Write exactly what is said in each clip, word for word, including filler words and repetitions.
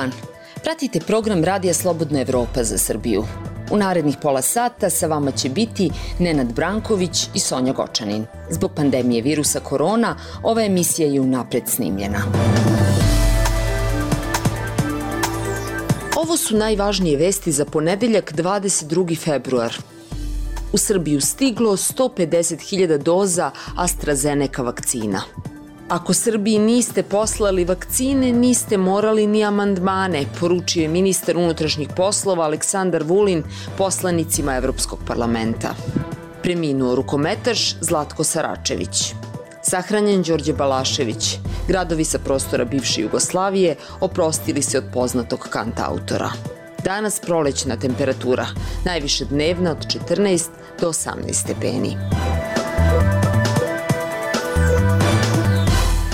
dan. Pratite program Radija Slobodna Evropa za Srbiju. U narednih pola sata sa vama će biti Nenad Branković i Sonja Gočanin. Zbog pandemije virusa korona, ova emisija je unapred snimljena. Ovo su najvažnije vesti za ponedeljak dvadeset drugi februar. U Srbiju stiglo sto pedeset hiljada doza AstraZeneca vakcina. Ako Srbiji niste poslali vakcine, niste morali ni amandmane, poručio je ministar unutrašnjih poslova Aleksandar Vulin poslanicima Evropskog parlamenta. Preminuo rukometaš Zlatko Saračević. Sahranjen Đorđe Balašević. Gradovi sa prostora bivše Jugoslavije oprostili se od poznatog kantautora. Danas prolećna temperatura, najviše dnevna od četrnaest do osamnaest stepeni.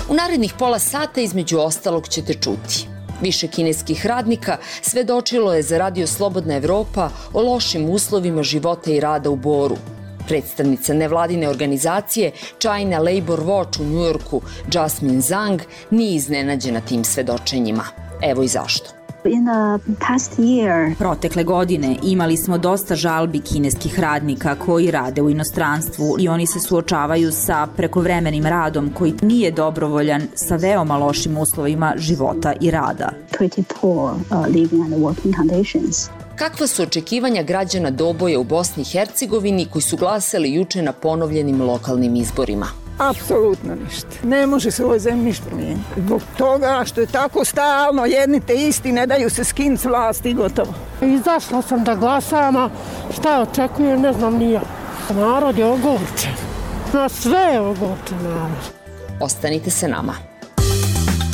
U narednih pola sata između ostalog ćete čuti. Više kineskih radnika svedočilo je za Radio Slobodna Evropa o lošim uslovima života i rada u Boru. Predstavnica nevladine organizacije China Labor Watch u Njujorku, Jasmine Zhang, nije iznenađena tim svedočenjima. Evo i zašto. Protekle godine imali smo dosta žalbi kineskih radnika koji rade u inostranstvu i oni se suočavaju sa prekovremenim radom koji nije dobrovoljan, sa veoma lošim uslovima života i rada. Kakva su očekivanja građana Doboja u Bosni i Hercegovini koji su glasali juče na ponovljenim lokalnim izborima? Apsolutno ništa. Ne može se u ovoj zemlji ništa promijeniti. Zbog toga što je tako stalno, jedni te isti ne daju se skinut s vlasti i gotovo. Izašla sam da glasam, a šta očekujem, ne znam ni ja. Narod je ogorčen. Na sve je ogorčen narod. Ostanite sa nama.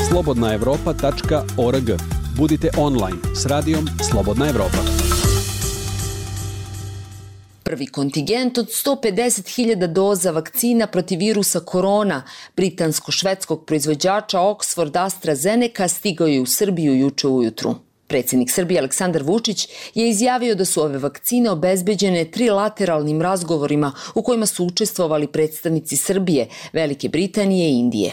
slobodna evropa tačka org. Budite online s radijom Slobodna Evropa. Prvi kontingent od sto pedeset hiljada doza vakcina protiv virusa korona britansko-švedskog proizvođača Oxford AstraZeneca stigao je u Srbiju juče ujutru. Predsjednik Srbije Aleksandar Vučić je izjavio da su ove vakcine obezbeđene trilateralnim razgovorima u kojima su učestvovali predstavnici Srbije, Velike Britanije i Indije.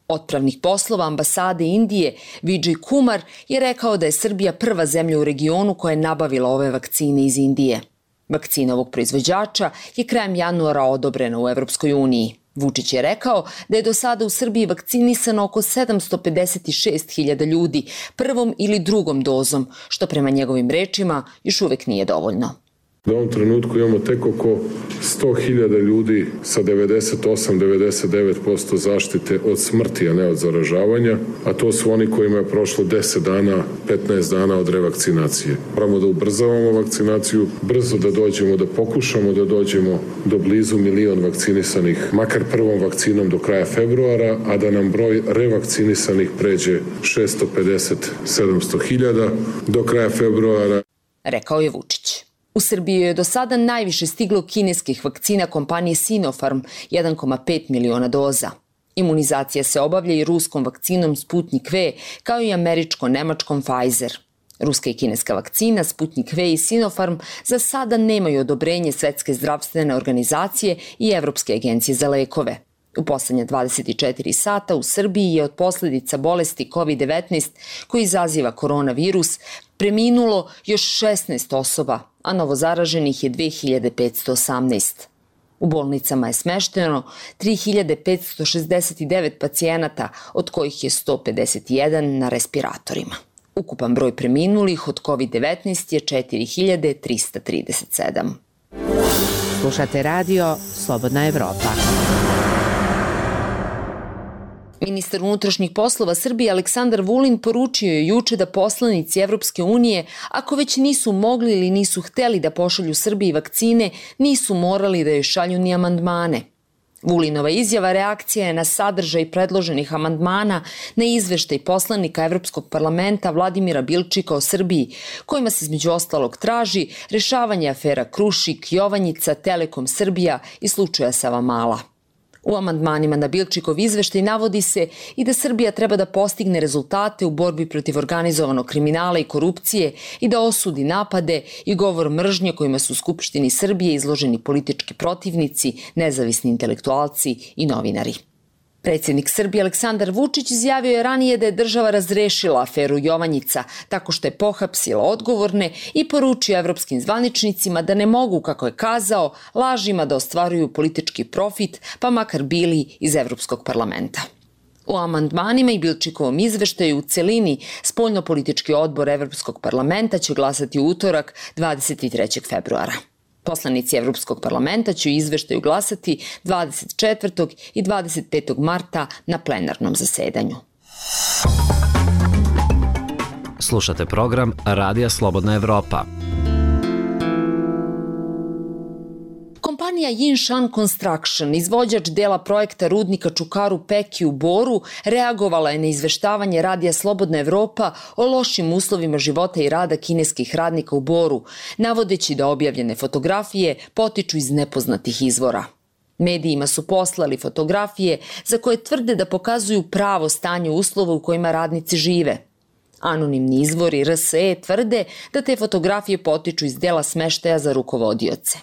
Otpravnik poslova ambasade Indije Vijay Kumar je rekao da je Srbija prva zemlja u regionu koja je nabavila ove vakcine iz Indije. Vakcina ovog proizvođača je krajem januara odobrena u Evropskoj uniji. Vučić je rekao da je do sada u Srbiji vakcinisano oko sedamsto pedeset šest hiljada ljudi prvom ili drugom dozom, što prema njegovim rečima još uvek nije dovoljno. U ovom trenutku imamo tek oko sto hiljada ljudi sa devedeset osam do devedeset devet posto zaštite od smrti, a ne od zaražavanja, a to su oni kojima je prošlo deset dana, petnaest dana od revakcinacije. Moramo da ubrzavamo vakcinaciju, brzo da dođemo, da pokušamo da dođemo do blizu milion vakcinisanih, makar prvom vakcinom do kraja februara, a da nam broj revakcinisanih pređe šesto pedeset do sedamsto hiljada do kraja februara. Rekao je Vučić. U Srbiji je do sada najviše stiglo kineskih vakcina kompanije Sinopharm, jedan zarez pet miliona doza. Imunizacija se obavlja i ruskom vakcinom Sputnik V, kao i američko-nemačkom Pfizer. Ruska i kineska vakcina Sputnik V i Sinopharm za sada nemaju odobrenje Svetske zdravstvene organizacije i Evropske agencije za lekove. U poslednje dvadeset četiri sata u Srbiji je od posledica bolesti kovid devetnaest koji izaziva koronavirus preminulo još šesnaest osoba, a novozaraženih je dve hiljade petsto osamnaest. U bolnicama je smešteno tri hiljade petsto šezdeset devet pacijenata, od kojih je sto pedeset jedan na respiratorima. Ukupan broj preminulih od kovid devetnaest je četiri hiljade trista trideset sedam. Slušate radio Slobodna Evropa. Ministar unutrašnjih poslova Srbije Aleksandar Vulin poručio je juče da poslanici Evropske unije, ako već nisu mogli ili nisu hteli da pošalju Srbiji vakcine, nisu morali da joj šalju ni amandmane. Vulinova izjava reakcija je na sadržaj predloženih amandmana na izveštaj poslanika Evropskog parlamenta Vladimira Bilčika o Srbiji, kojima se između ostalog traži rešavanje afera Krušik, Jovanjica, Telekom Srbija i slučaja Savamala. U amandmanima na Bilčikov izveštaj navodi se i da Srbija treba da postigne rezultate u borbi protiv organizovanog kriminala i korupcije i da osudi napade i govor mržnje kojima su u Skupštini Srbije izloženi politički protivnici, nezavisni intelektualci i novinari. Predsjednik Srbije Aleksandar Vučić izjavio je ranije da je država razrešila aferu Jovanjica tako što je pohapsila odgovorne i poručio evropskim zvaničnicima da ne mogu, kako je kazao, lažima da ostvaruju politički profit, pa makar bili iz Evropskog parlamenta. U amandmanima i Bilčikovom izveštaju u celini Spoljnopolitički odbor Evropskog parlamenta će glasati u utorak dvadeset trećeg februara. Poslanici Evropskog parlamenta će u izveštaju glasati dvadeset četvrtog i dvadeset petog marta na plenarnom zasedanju. Slušate program Radija Slobodna Evropa. Kompanija Yinshan Construction, izvođač dela projekta rudnika Čukaru Peki u Boru, reagovala je na izveštavanje Radija Slobodna Evropa o lošim uslovima života i rada kineskih radnika u Boru, navodeći da objavljene fotografije potiču iz nepoznatih izvora. Medijima su poslali fotografije za koje tvrde da pokazuju pravo stanje uslova u kojima radnici žive. Anonimni izvori R S E tvrde da te fotografije potiču iz dela smeštaja za rukovodioce.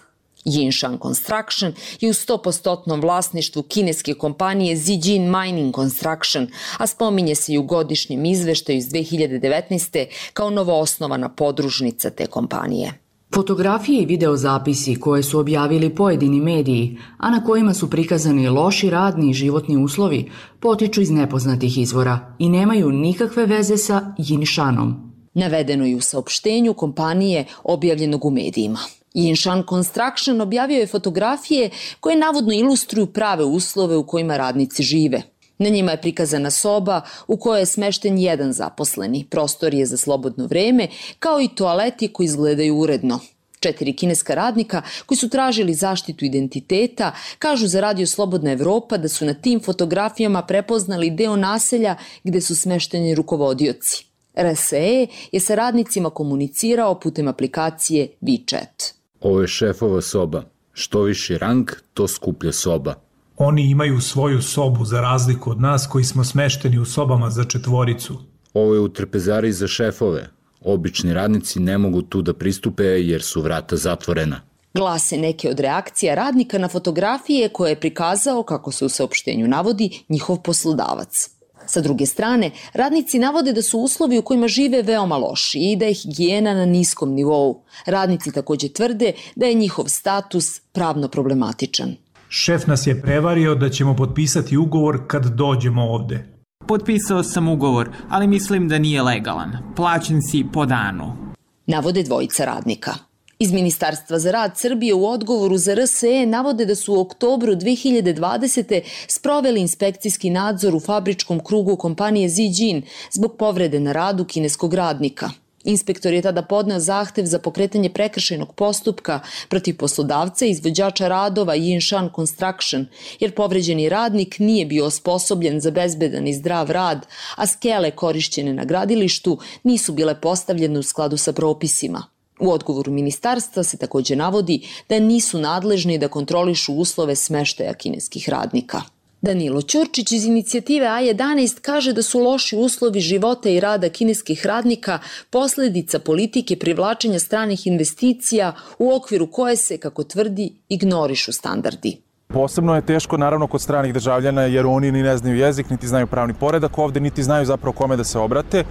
Yinshan Construction je u sto posto vlasništvu kineske kompanije Zijin Mining Construction, a spominje se i u godišnjem izveštaju iz dve hiljade devetnaeste. kao novoosnovana podružnica te kompanije. Fotografije i videozapisi koje su objavili pojedini mediji, a na kojima su prikazani loši radni i životni uslovi, potiču iz nepoznatih izvora i nemaju nikakve veze sa Yinshanom. Navedeno je u saopštenju kompanije objavljenog u medijima. Yinshan Construction objavio je fotografije koje navodno ilustruju prave uslove u kojima radnici žive. Na njima je prikazana soba u kojoj je smešten jedan zaposleni, prostorije za slobodno vreme, kao i toaleti koji izgledaju uredno. Četiri kineska radnika koji su tražili zaštitu identiteta kažu za Radio Slobodna Evropa da su na tim fotografijama prepoznali deo naselja gde su smešteni rukovodioci. R S E je sa radnicima komunicirao putem aplikacije WeChat. Ovo je šefova soba. Što viši rang, to skuplja soba. Oni imaju svoju sobu za razliku od nas koji smo smešteni u sobama za četvoricu. Ovo je u trpezari za šefove. Obični radnici ne mogu tu da pristupe jer su vrata zatvorena. Glase neke od reakcija radnika na fotografije koje je prikazao, kako se u saopštenju navodi, njihov poslodavac. Sa druge strane, radnici navode da su uslovi u kojima žive veoma loši i da je higijena na niskom nivou. Radnici takođe tvrde da je njihov status pravno problematičan. Šef nas je prevario da ćemo potpisati ugovor kad dođemo ovde. Potpisao sam ugovor, ali mislim da nije legalan. Plaćen si po danu. Navode dvojica radnika. Iz Ministarstva za rad Srbije u odgovoru za R S E navode da su u oktobru dve hiljade dvadesete. sproveli inspekcijski nadzor u fabričkom krugu kompanije Zijin zbog povrede na radu kineskog radnika. Inspektor je tada podneo zahtev za pokretanje prekršajnog postupka protiv poslodavca i izvođača radova Yinshan Construction, jer povređeni radnik nije bio osposobljen za bezbedan i zdrav rad, a skele korišćene na gradilištu nisu bile postavljene u skladu sa propisima. U odgovoru ministarstva se takođe navodi da nisu nadležni da kontrolišu uslove smeštaja kineskih radnika. Danilo Ćurčić iz inicijative A jedanaest kaže da su loši uslovi života i rada kineskih radnika posledica politike privlačenja stranih investicija u okviru koje se, kako tvrdi, ignorišu standardi. Posebno je teško naravno kod stranih državljana jer oni ni ne znaju jezik, niti znaju pravni poredak ovde, niti znaju zapravo kome da se obrate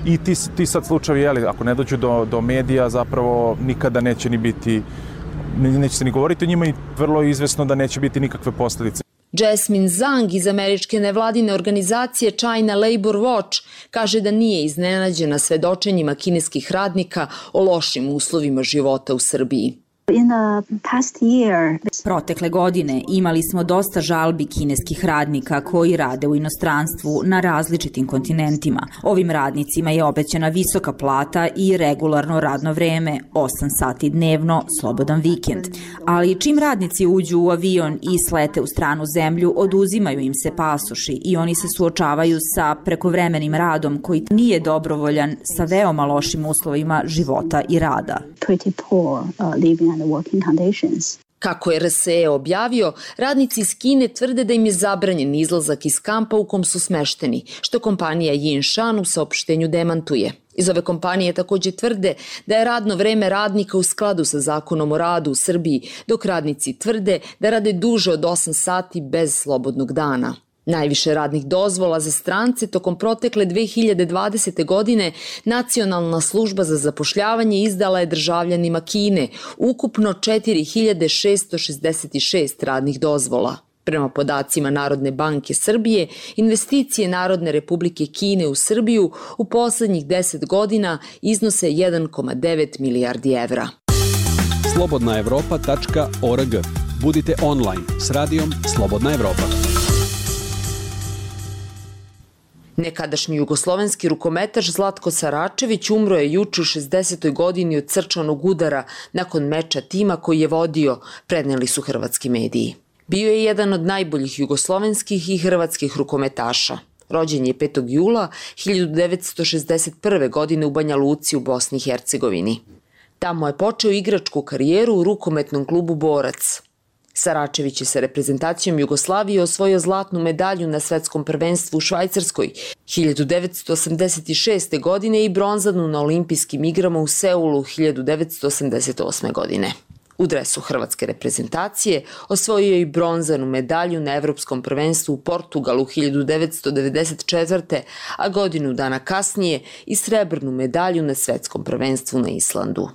i ti, ti sad slučajevi, jeli, ako ne dođu do, do medija, zapravo nikada neće ni biti, neće se ni govoriti o njima i vrlo je izvesno da neće biti nikakve posledice. Jasmine Zhang iz američke nevladine organizacije China Labor Watch kaže da nije iznenađena svedočenjima kineskih radnika o lošim uslovima života u Srbiji. Protekle godine imali smo dosta žalbi kineskih radnika koji rade u inostranstvu na različitim kontinentima. Ovim radnicima je obećana visoka plata i regularno radno vreme, osam sati dnevno, slobodan vikend. Ali čim radnici uđu u avion i slete u stranu zemlju, oduzimaju im se pasoši i oni se suočavaju sa prekovremenim radom koji nije dobrovoljan, sa veoma lošim uslovima života i rada. Kako je R S E objavio, radnici iz Kine tvrde da im je zabranjen izlazak iz kampa u kom su smešteni, što kompanija Yinshan u saopštenju demantuje. Iz ove kompanije takođe tvrde da je radno vreme radnika u skladu sa zakonom o radu u Srbiji, dok radnici tvrde da rade duže od osam sati bez slobodnog dana. Najviše radnih dozvola za strance tokom protekle dve hiljade dvadesete. godine Nacionalna služba za zapošljavanje izdala je državljanima Kine, ukupno četiri hiljade šesto šezdeset šest radnih dozvola. Prema podacima Narodne banke Srbije, investicije Narodne republike Kine u Srbiju u poslednjih deset godina iznose jedan zarez devet milijardi evra. slobodna evropa tačka org. Budite online s radijom Slobodna Evropa. Nekadašnji jugoslovenski rukometaš Zlatko Saračević umro je juče u šezdesetoj godini od srčanog udara nakon meča tima koji je vodio, preneli su hrvatski mediji. Bio je jedan od najboljih jugoslovenskih i hrvatskih rukometaša. Rođen je petog jula hiljadu devetsto šezdeset prve. godine u Banja Luci u Bosni i Hercegovini. Tamo je počeo igračku karijeru u rukometnom klubu Borac. Saračević je sa reprezentacijom Jugoslavije osvojio zlatnu medalju na svetskom prvenstvu u Švajcarskoj hiljadu devetsto osamdeset šeste. godine i bronzanu na olimpijskim igrama u Seulu hiljadu devetsto osamdeset osme. godine. U dresu hrvatske reprezentacije osvojio je i bronzanu medalju na evropskom prvenstvu u Portugalu hiljadu devetsto devedeset četvrte. a godinu dana kasnije i srebrnu medalju na svetskom prvenstvu na Islandu.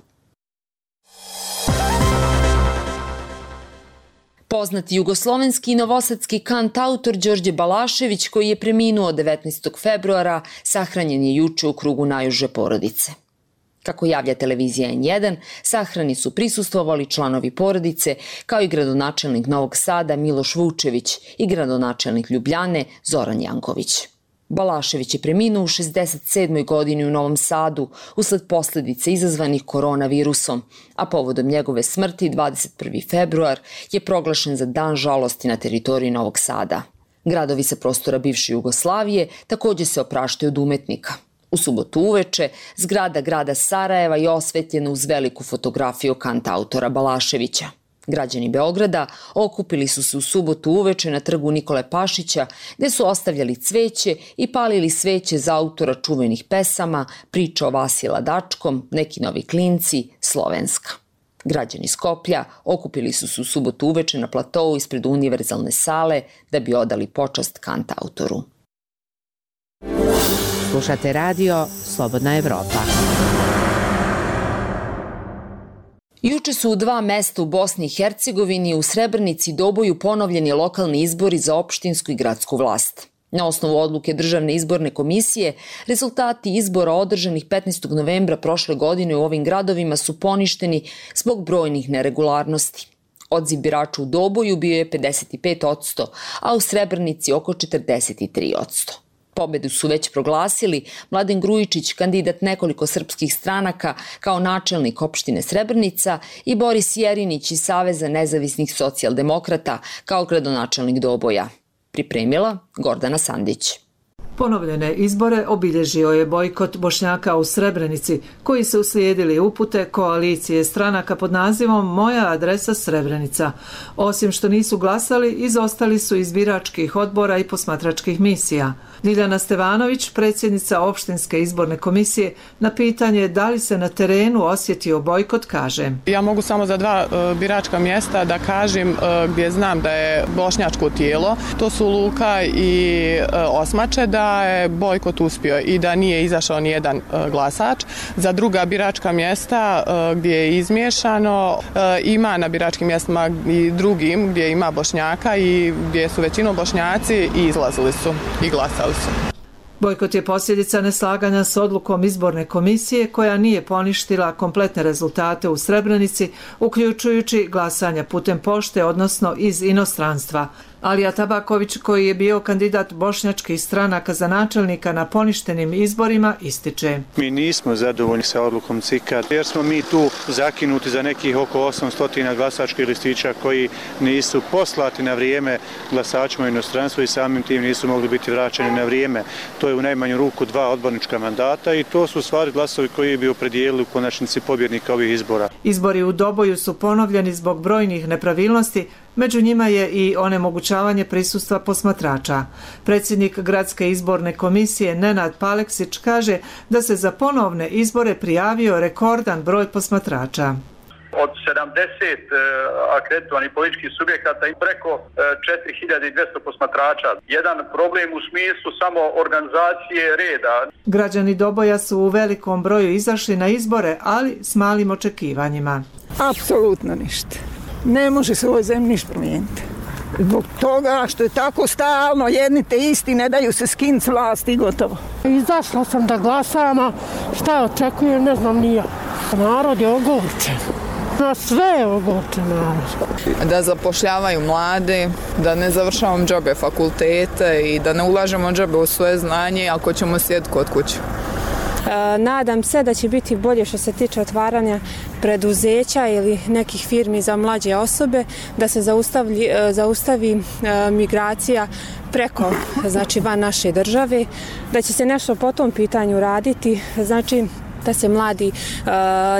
Poznati jugoslovenski i novosadski kantautor Đorđe Balašević, koji je preminuo devetnaestog februara, sahranjen je juče u krugu najuže porodice. Kako javlja televizija N jedan, sahrani su prisustvovali članovi porodice, kao i gradonačelnik Novog Sada Miloš Vučević i gradonačelnik Ljubljane Zoran Janković. Balašević je preminuo u šezdeset sedmoj. godini u Novom Sadu usled posledice izazvanih koronavirusom, a povodom njegove smrti dvadeset prvi februar je proglašen za dan žalosti na teritoriji Novog Sada. Gradovi sa prostora bivše Jugoslavije takođe se opraštaju od umetnika. U subotu uveče zgrada grada Sarajeva je osvetljena uz veliku fotografiju kantautora Balaševića. Građani Beograda okupili su se u subotu uveče na trgu Nikole Pašića, gde su ostavljali cveće i palili sveće za autora čuvenih pesama, Priča o Vasi Ladačkom, Neki novi klinci, Slovenska. Građani Skoplja okupili su se u subotu uveče na platou ispred univerzalne sale da bi odali počast kantautoru. Slušate radio Slobodna Evropa. Juče su u dva mesta u Bosni i Hercegovini u Srebrenici i Doboju ponovljeni lokalni izbori za opštinsku i gradsku vlast. Na osnovu odluke Državne izborne komisije, rezultati izbora održanih petnaestog novembra prošle godine u ovim gradovima su poništeni zbog brojnih neregularnosti. Odziv birača u Doboju bio je pedeset pet posto, a u Srebrenici oko četrdeset tri posto. Pobedu su već proglasili Mladen Grujičić, kandidat nekoliko srpskih stranaka kao načelnik opštine Srebrenica, i Boris Jerinić iz Saveza nezavisnih socijaldemokrata kao gradonačelnik Doboja. Pripremila Gordana Sandić. Ponovljene izbore obilježio je bojkot Bošnjaka u Srebrenici, koji su uslijedili upute koalicije stranaka pod nazivom Moja adresa Srebrenica. Osim što nisu glasali, izostali su iz biračkih odbora i posmatračkih misija. Ljiljana Stevanović, predsjednica opštinske izborne komisije, na pitanje da li se na terenu osjetio bojkot, kaže: Ja mogu samo za dva e, biračka mjesta da kažem e, gdje znam da je bošnjačko tijelo, to su Luka i e, Osmače, da je bojkot uspio i da nije izašao ni jedan e, glasač. Za druga biračka mjesta e, gdje je izmiješano, e, ima na biračkim mjestima i drugim gdje ima Bošnjaka i gdje su većinom Bošnjaci i izlazili su i glasali. Bojkot je posljedica neslaganja s odlukom izborne komisije koja nije poništila kompletne rezultate u Srebrenici, uključujući glasanja putem pošte, odnosno iz inostranstva. Alija Tabaković, koji je bio kandidat bošnjačkih stranaka za načelnika na poništenim izborima, ističe: Mi nismo zadovoljni sa odlukom C I K-a jer smo mi tu zakinuti za nekih oko osamsto glasačkih listića koji nisu poslati na vrijeme glasačima u inostranstvu i samim tim nisu mogli biti vraćeni na vrijeme. To je u najmanju ruku dva odbornička mandata i to su stvari glasovi koji bi opredijelili u konačnici pobjednika ovih izbora. Izbori u Doboju su ponovljeni zbog brojnih nepravilnosti, među njima je i onemogućavanje prisustva posmatrača. Predsjednik gradske izborne komisije Nenad Paleksić kaže da se za ponovne izbore prijavio rekordan broj posmatrača. Od sedamdeset akreditovanih političkih subjekata i preko četiri hiljade dvjesto posmatrača. Jedan problem u smislu samo organizacije reda. Građani Doboja su u velikom broju izašli na izbore, ali s malim očekivanjima. Apsolutno ništa. Ne može se u ovoj zemlji ništa promijeniti. Zbog toga što je tako stalno, jedni te isti ne daju se skinuti s vlasti i gotovo. Izašla sam da glasam, a šta očekujem, ne znam ni ja. Narod je ogorčen. Na sve je ogorčen narod. Da zapošljavaju mlade, da ne završavamo džabe fakultete i da ne ulažemo džabe u svoje znanje ako ćemo sjediti kod kuće. Nadam se da će biti bolje što se tiče otvaranja preduzeća ili nekih firmi za mlađe osobe, da se zaustavi, zaustavi migracija preko, znači van naše države, da će se nešto po tom pitanju raditi, znači da se mladi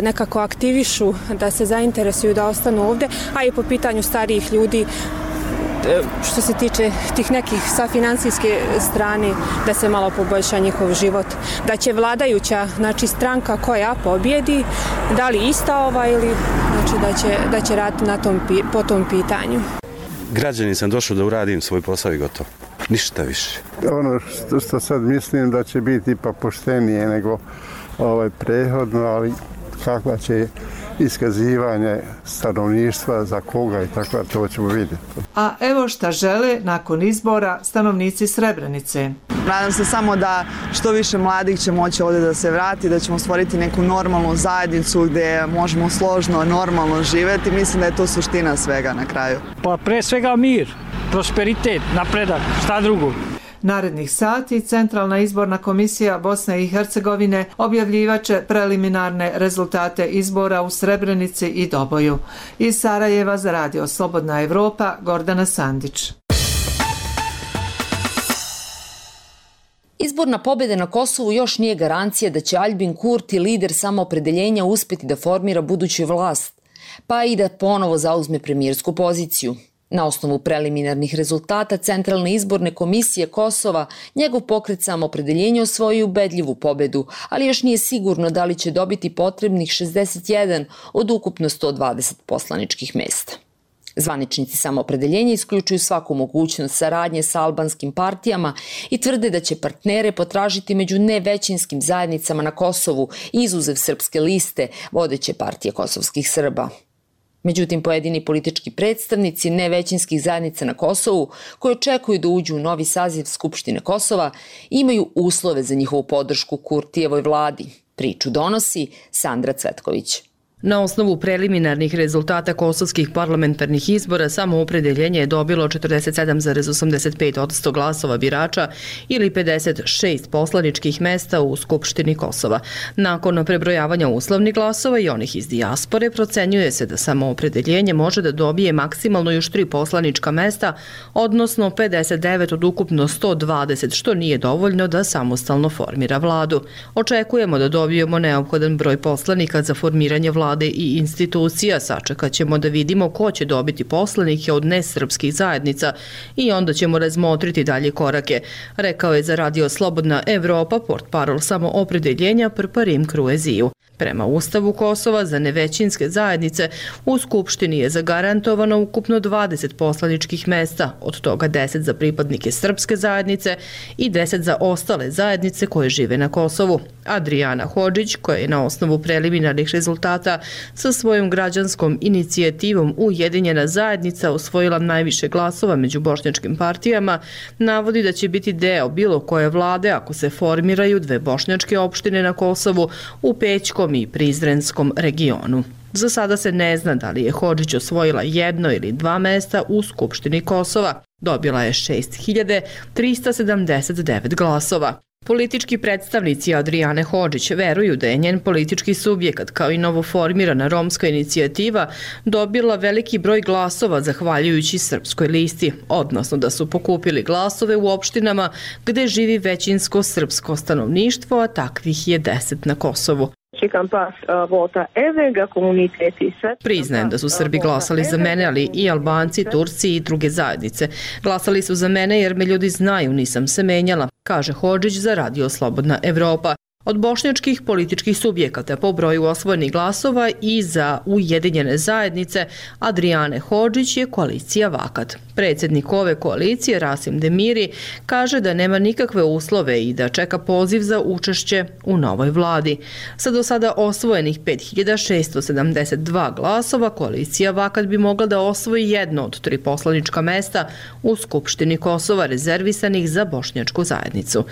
nekako aktivišu, da se zainteresuju da ostanu ovdje, a i po pitanju starijih ljudi što se tiče tih nekih sa financijske strane, da se malo poboljša njihov život, da će vladajuća, znači stranka koja pobjedi, da li ista ova ili znači da će, da će raditi na tom, po tom pitanju. Građani sam došao da uradim svoj posao i gotovo. Ništa više. Ono što, što sad mislim da će biti ipak poštenije nego ovaj prehodno, ali kakva će iskazivanje stanovništva za koga i tako, to ćemo vidjeti. A evo šta žele nakon izbora stanovnici Srebrenice. Nadam se samo da što više mladih će moći ovdje da se vrati, da ćemo stvoriti neku normalnu zajednicu gdje možemo složno, normalno živjeti. Mislim da je to suština svega na kraju. Pa pre svega mir, prosperitet, napredak, šta drugo. Narednih sati Centralna izborna komisija Bosne i Hercegovine objavljivaće preliminarne rezultate izbora u Srebrenici i Doboju. Iz Sarajeva za Radio Slobodna Evropa, Gordana Sandić. Izborna pobjeda na Kosovu još nije garancija da će Aljbin Kurti, lider samoopredeljenja, uspjeti da formira buduću vlast, pa i da ponovo zauzme premijersku poziciju. Na osnovu preliminarnih rezultata Centralne izborne komisije Kosova, njegov pokret samoopredeljenja osvojio ubedljivu pobedu, ali još nije sigurno da li će dobiti potrebnih šezdeset jedan od ukupno sto dvadeset poslaničkih mesta. Zvaničnici samoopredeljenja isključuju svaku mogućnost saradnje sa albanskim partijama i tvrde da će partnere potražiti među nevećinskim zajednicama na Kosovu, izuzev Srpske liste, vodeće partije kosovskih Srba. Međutim, pojedini politički predstavnici nevećinskih zajednica na Kosovu, koji očekuju da uđu u novi saziv Skupštine Kosova, imaju uslove za njihovu podršku Kurtijevoj vladi. Priču donosi Sandra Cvetković. Na osnovu preliminarnih rezultata kosovskih parlamentarnih izbora samoopredeljenje je dobilo četrdeset sedam zarez osamdeset pet posto glasova birača ili pedeset šest poslaničkih mesta u Skupštini Kosova. Nakon prebrojavanja uslovnih glasova i onih iz dijaspore, procenjuje se da samoopredeljenje može da dobije maksimalno još tri poslanička mesta, odnosno pedeset devet od ukupno sto dvadeset, što nije dovoljno da samostalno formira vladu. Očekujemo da dobijemo neophodan broj poslanika za formiranje vlade i institucija, sačekat ćemo da vidimo ko će dobiti poslanike od nesrpskih zajednica i onda ćemo razmotriti dalje korake, rekao je za Radio Slobodna Evropa portparol samoopredeljenja Prparim Krueziju. Prema Ustavu Kosova za nevećinske zajednice u Skupštini je zagarantovano ukupno dvadeset poslaničkih mesta, od toga deset za pripadnike srpske zajednice i deset za ostale zajednice koje žive na Kosovu. Adriana Hodžić, koja je na osnovu preliminarnih rezultata sa svojom građanskom inicijativom Ujedinjena zajednica osvojila najviše glasova među bošnjačkim partijama, navodi da će biti deo bilo koje vlade ako se formiraju dve bošnjačke opštine na Kosovu u Pećkom i Prizrenskom regionu. Za sada se ne zna da li je Hodžić osvojila jedno ili dva mesta u Skupštini Kosova. Dobila je šest hiljada trista sedamdeset devet glasova. Politički predstavnici Adriane Hodžić veruju da je njen politički subjekat kao i novoformirana romska inicijativa dobila veliki broj glasova zahvaljujući Srpskoj listi, odnosno da su pokupili glasove u opštinama gde živi većinsko srpsko stanovništvo, a takvih je deset na Kosovu. Priznajem da su Srbi glasali za mene, ali i Albanci, Turci i druge zajednice. Glasali su za mene jer me ljudi znaju, nisam se menjala, kaže Hodžić za Radio Slobodna Evropa. Od bošnjačkih političkih subjekata po broju osvojenih glasova i za Ujedinjene zajednice Adrijane Hodžić je koalicija Vakat. Predsjednik ove koalicije Rasim Demiri kaže da nema nikakve uslove i da čeka poziv za učešće u novoj vladi. Sa do sada osvojenih pet hiljada šesto sedamdeset dva glasova, koalicija Vakat bi mogla da osvoji jedno od tri poslanička mesta u Skupštini Kosova rezervisanih za bošnjačku zajednicu.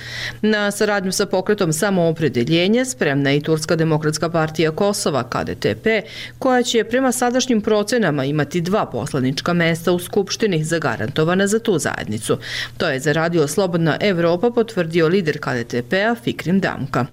Na saradnju sa pokretom Samoopredeljenje spremna je i Turska demokratska partija Kosova K D T P, koja će prema sadašnjim procenama imati dva poslanička mesta u Skupštini zagarantovana za tu zajednicu. To je za Radio Slobodna Evropa potvrdio lider K D T P-a Fikrim Damka.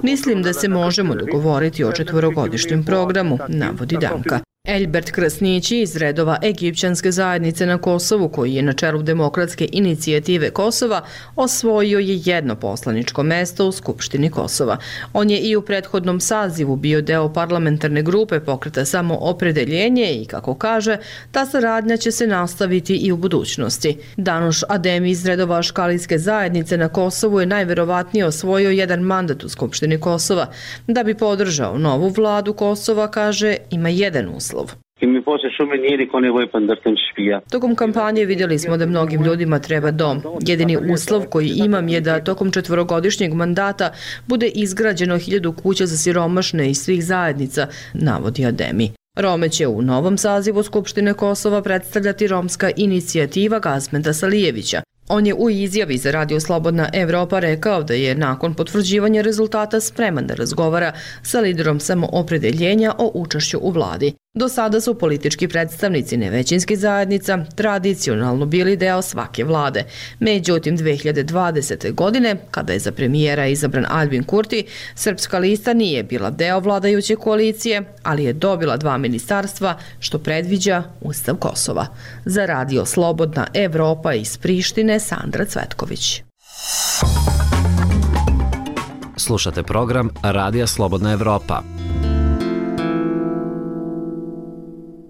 Mislim da se možemo dogovoriti o četvorogodišnjem programu, navodi Damka. Elbert Krasnići iz redova Egipćanske zajednice na Kosovu, koji je na čelu Demokratske inicijative Kosova, osvojio je jedno poslaničko mesto u Skupštini Kosova. On je i u prethodnom sazivu bio deo parlamentarne grupe pokreta Samoopredeljenje i, kako kaže, ta saradnja će se nastaviti i u budućnosti. Danuš Ademi iz redova Škalijske zajednice na Kosovu je najverovatnije osvojio jedan mandat u Skupštini Kosova. Da bi podržao novu vladu Kosova, kaže, ima jedan uslov. Tokom kampanje vidjeli smo da mnogim ljudima treba dom. Jedini uslov koji imam je da tokom četvorogodišnjeg mandata bude izgrađeno hiljadu kuća za siromašne iz svih zajednica, navodi Ademi. Rome će u novom sazivu Skupštine Kosova predstavljati romska inicijativa Gazmeta Salijevića. On je u izjavi za Radio Slobodna Evropa rekao da je nakon potvrđivanja rezultata spreman da razgovara sa liderom Samoopredeljenja o učešću u vladi. Do sada su politički predstavnici nevećinskih zajednica tradicionalno bili deo svake vlade. Međutim, dve hiljade dvadesete. godine, kada je za premijera izabran Albin Kurti, Srpska lista nije bila deo vladajuće koalicije, ali je dobila dva ministarstva, što predviđa Ustav Kosova. Za Radio Slobodna Evropa iz Prištine, Sandra Cvetković. Slušate program Radija Slobodna Evropa.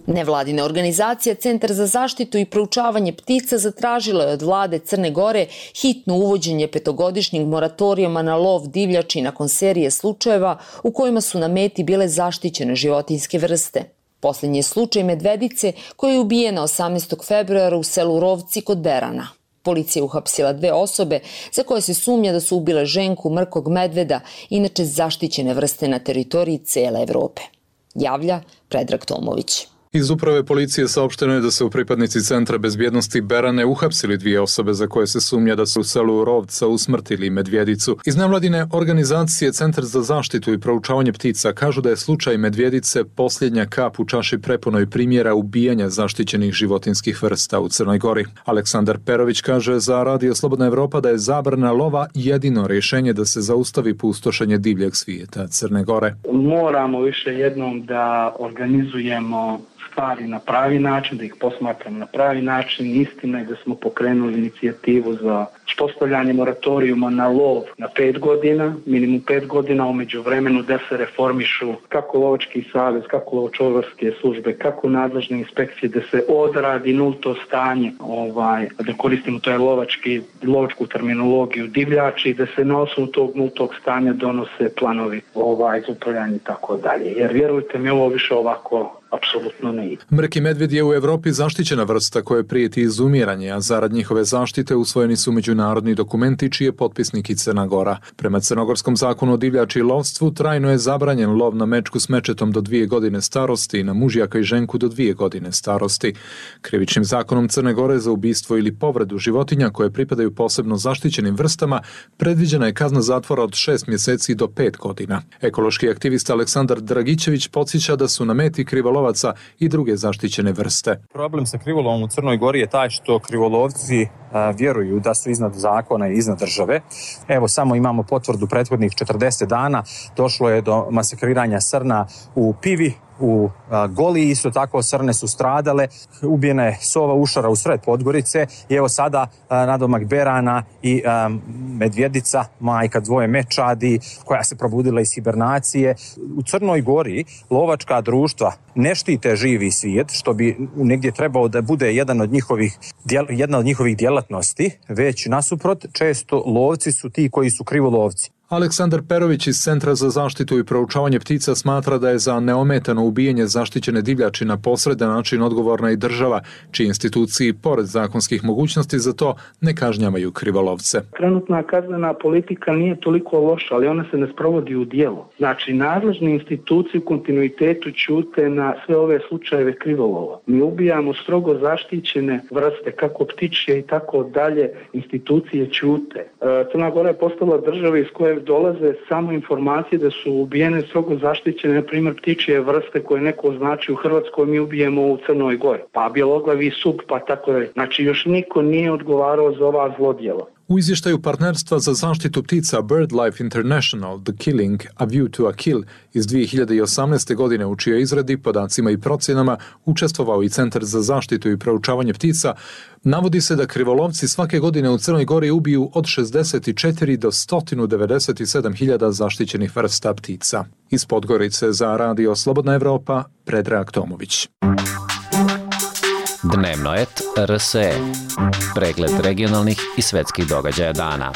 Nevladina organizacija Centar za zaštitu i proučavanje ptica zatražila je od vlade Crne Gore hitno uvođenje petogodišnjeg moratorijuma na lov divljači nakon serije slučajeva u kojima su na meti bile zaštićene životinjske vrste. Posljednji je slučaj medvedice koja je ubijena osamnaestog februara u selu Rovci kod Berana. Policija je uhapsila dve osobe za koje se sumnja da su ubile ženku mrkog medveda, inače zaštićene vrste na teritoriji cele Evrope. Javlja Predrag Tomović. Iz uprave policije saopšteno je da su pripadnici Centra bezbjednosti Berane uhapsili dvije osobe za koje se sumnja da su u selu Rovca usmrtili medvjedicu. Iz nevladine organizacije Centar za zaštitu i proučavanje ptica kažu da je slučaj medvjedice posljednja kap u čaši prepunoj primjera ubijanja zaštićenih životinskih vrsta u Crnoj Gori. Aleksandar Perović kaže za Radio Slobodna Evropa da je zabrana lova jedino rješenje da se zaustavi pustošenje divljeg svijeta Crne Gore. Moramo više jednom da organizujemo stvari na pravi način, da ih posmatramo na pravi način. Istina je da smo pokrenuli inicijativu za uspostavljanje moratorijuma na lov na pet godina, minimum pet godina, umeđu vremenu da se reformišu kako lovački savez, kako lovočuvarske službe, kako nadležne inspekcije, da se odradi nulto stanje, ovaj, da koristimo to je lovački, lovačku terminologiju divljači, da se na osnovu tog nultog stanja donose planovi ovaj, za upravljanje i tako dalje. Jer vjerujte mi, ovo više ovako apsolutno ne ide. Mrki medvjed je u Evropi zaštićena vrsta koja prijeti izumiranje, a zarad njihove zaštite usvojeni su međunarodni dokumenti čiji je potpisnik i Crna Gora. Prema crnogorskom zakonu o divljači i lovstvu trajno je zabranjen lov na mečku s mečetom do dvije godine starosti i na mužjaka i ženku do dvije godine starosti. Krivičnim zakonom Crne Gore za ubistvo ili povredu životinja koje pripadaju posebno zaštićenim vrstama predviđena je kazna zatvora od šest mjeseci do pet godina. Ekološki aktivista Aleksandar Dragićević podsjeća da su na meti krivolovaca i druge zaštićene vrste. Problem sa krivolovom u Crnoj Gori je taj što krivolovci a, vjeruju da su iznad zakona i iznad države. Evo, samo imamo potvrdu prethodnih četrdeset dana. Došlo je do masakriranja srna u Pivi, u a, Goli, isto tako srne su stradale, ubijena je sova ušara u sred Podgorice i evo sada a, nadomak Berana i a, medvjedica, majka dvoje mečadi koja se probudila iz hibernacije. U Crnoj Gori lovačka društva ne štite živi svijet, što bi negdje trebao da bude jedan od njihovih, jedna od njihovih djelatnosti, već nasuprot često lovci su ti koji su krivolovci. Aleksandar Perović iz Centra za zaštitu i proučavanje ptica smatra da je za neometano ubijanje zaštićene divljači na posredan način odgovorna i država, čiji instituciji, pored zakonskih mogućnosti za to, ne kažnjavaju krivolovce. Trenutna kaznena politika nije toliko loša, ali ona se ne sprovodi u djelo. Znači, nadležne institucije u kontinuitetu ćute na sve ove slučajeve krivolova. Mi ubijamo strogo zaštićene vrste, kako ptičje i tako dalje, institucije ćute. Crna Gora je postala država iz koje dolaze samo informacije da su ubijene strogo zaštićene, na primjer ptičje vrste koje neko označi u Hrvatskoj, mi ubijemo u Crnoj Gori. Pa bjeloglavi sup, pa tako da. Znači još niko nije odgovarao za ova zlodjela. U izvještaju partnerstva za zaštitu ptica BirdLife International, The Killing, A View to a Kill iz dvije hiljade osamnaeste. godine, u čijoj izradi, podacima i procjenama učestvovao i Centar za zaštitu i proučavanje ptica, navodi se da krivolovci svake godine u Crnoj Gori ubiju od šezdeset četiri do sto devedeset sedam hiljada zaštićenih vrsta ptica. Iz Podgorice za Radio Slobodna Evropa, Predrag Tomović. Dnevno et R S E. Pregled regionalnih i svetskih događaja dana.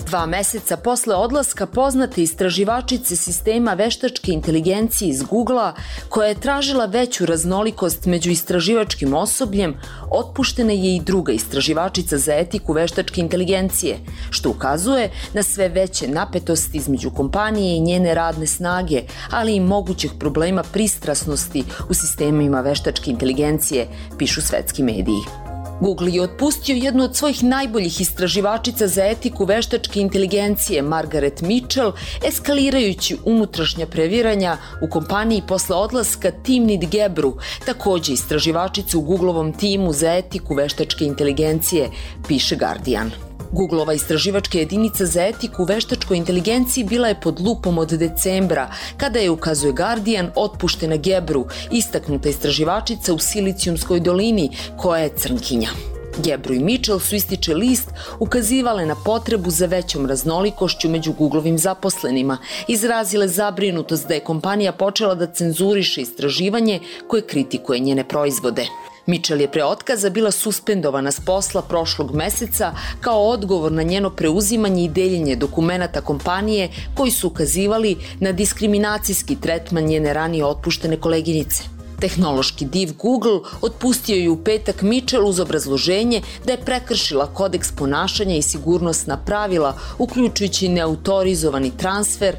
Dva meseca posle odlaska poznate istraživačice sistema veštačke inteligencije iz Googlea, koja je tražila veću raznolikost među istraživačkim osobljem, otpuštena je i druga istraživačica za etiku veštačke inteligencije, što ukazuje na sve veće napetosti između kompanije i njene radne snage, ali i mogućih problema pristrasnosti u sistemima veštačke inteligencije, pišu svetski mediji. Google je otpustio jednu od svojih najboljih istraživačica za etiku veštačke inteligencije, Margaret Mitchell, eskalirajući unutrašnja previranja u kompaniji posle odlaska Timnit Gebru, takođe istraživačica u Googleovom timu za etiku veštačke inteligencije, piše Guardian. Googleova istraživačka jedinica za etiku u veštačkoj inteligenciji bila je pod lupom od decembra, kada je, ukazuje Guardian, otpuštena Gebru, istaknuta istraživačica u Silicijumskoj dolini, koja je crnkinja. Gebru i Mitchell su, ističe list, ukazivale na potrebu za većom raznolikošću među Googlovim zaposlenima, izrazile zabrinutost da je kompanija počela da cenzuriše istraživanje koje kritikuje njene proizvode. Mitchell je pre otkaza bila suspendovana s posla prošlog meseca kao odgovor na njeno preuzimanje i deljenje dokumenata kompanije koji su ukazivali na diskriminacijski tretman njene ranije otpuštene koleginice. Tehnološki div Google otpustio je u petak Mitchell uz obrazloženje da je prekršila kodeks ponašanja i sigurnosna pravila, uključujući neautorizovani transfer,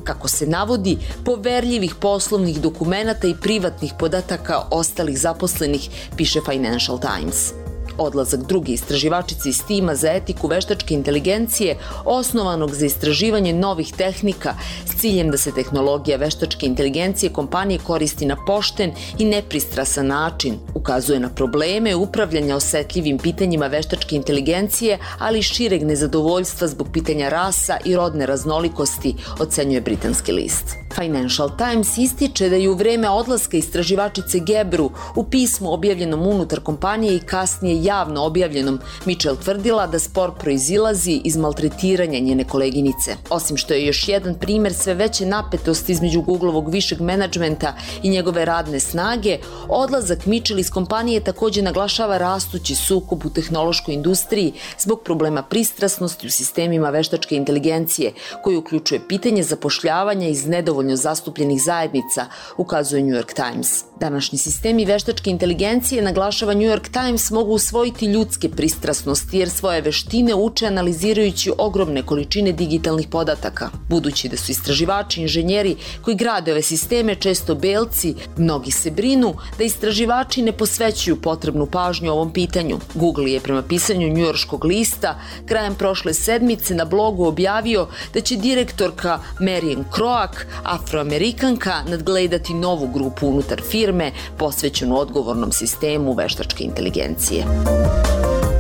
kako se navodi, poverljivih poslovnih dokumenata i privatnih podataka ostalih zaposlenih, piše Financial Times. Odlazak druge istraživačice iz tima za etiku veštačke inteligencije, osnovanog za istraživanje novih tehnika s ciljem da se tehnologija veštačke inteligencije kompanije koristi na pošten i nepristrasan način, ukazuje na probleme upravljanja osetljivim pitanjima veštačke inteligencije, ali i šireg nezadovoljstva zbog pitanja rasa i rodne raznolikosti, ocenjuje britanski list. Financial Times ističe da je u vreme odlaska istraživačice Gebru u pismu objavljenom unutar kompanije i kasnije javno objavljenom Mitchell tvrdila da spor proizilazi iz maltretiranja njene koleginice. Osim što je još jedan primer sve veće napetosti između Googleovog višeg menadžmenta i njegove radne snage, odlazak Mitchell iz kompanije takođe naglašava rastući sukob u tehnološkoj industriji zbog problema pristrasnosti u sistemima veštačke inteligencije, koji uključuje pitanje zapošljavanja iz nedovoljno zastupljenih zajednica, ukazuje New York Times. Današnji sistemi veštačke inteligencije, naglašava New York Times, mogu usvojiti ljudske pristrasnosti jer svoje veštine uče analizirajući ogromne količine digitalnih podataka. Budući da su istraživači i inženjeri koji grade ove sisteme često belci, mnogi se brinu da istraživači ne posvećuju potrebnu pažnju ovom pitanju. Google je prema pisanju njujorškog lista krajem prošle sedmice na blogu objavio da će direktorka Marian Kroak, Afroamerikanka, nadgledati novu grupu unutar firme posvećenu odgovornom sistemu veštačke inteligencije.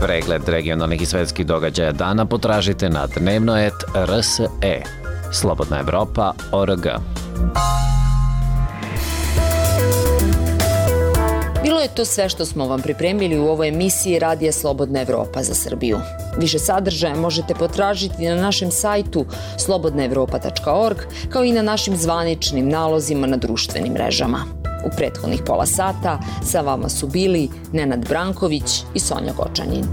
Pregled regionalnih i svetskih događaja dana potražite na dnevno et R S E. Slobodna Evropa точка org. Bilo je to sve što smo vam pripremili u ovoj emisiji Radija Slobodna Evropa za Srbiju. Više sadržaja možete potražiti na našem sajtu slobodna evropa tačka org, kao i na našim zvaničnim nalozima na društvenim mrežama. U prethodnih pola sata sa vama su bili Nenad Branković i Sonja Gočanin.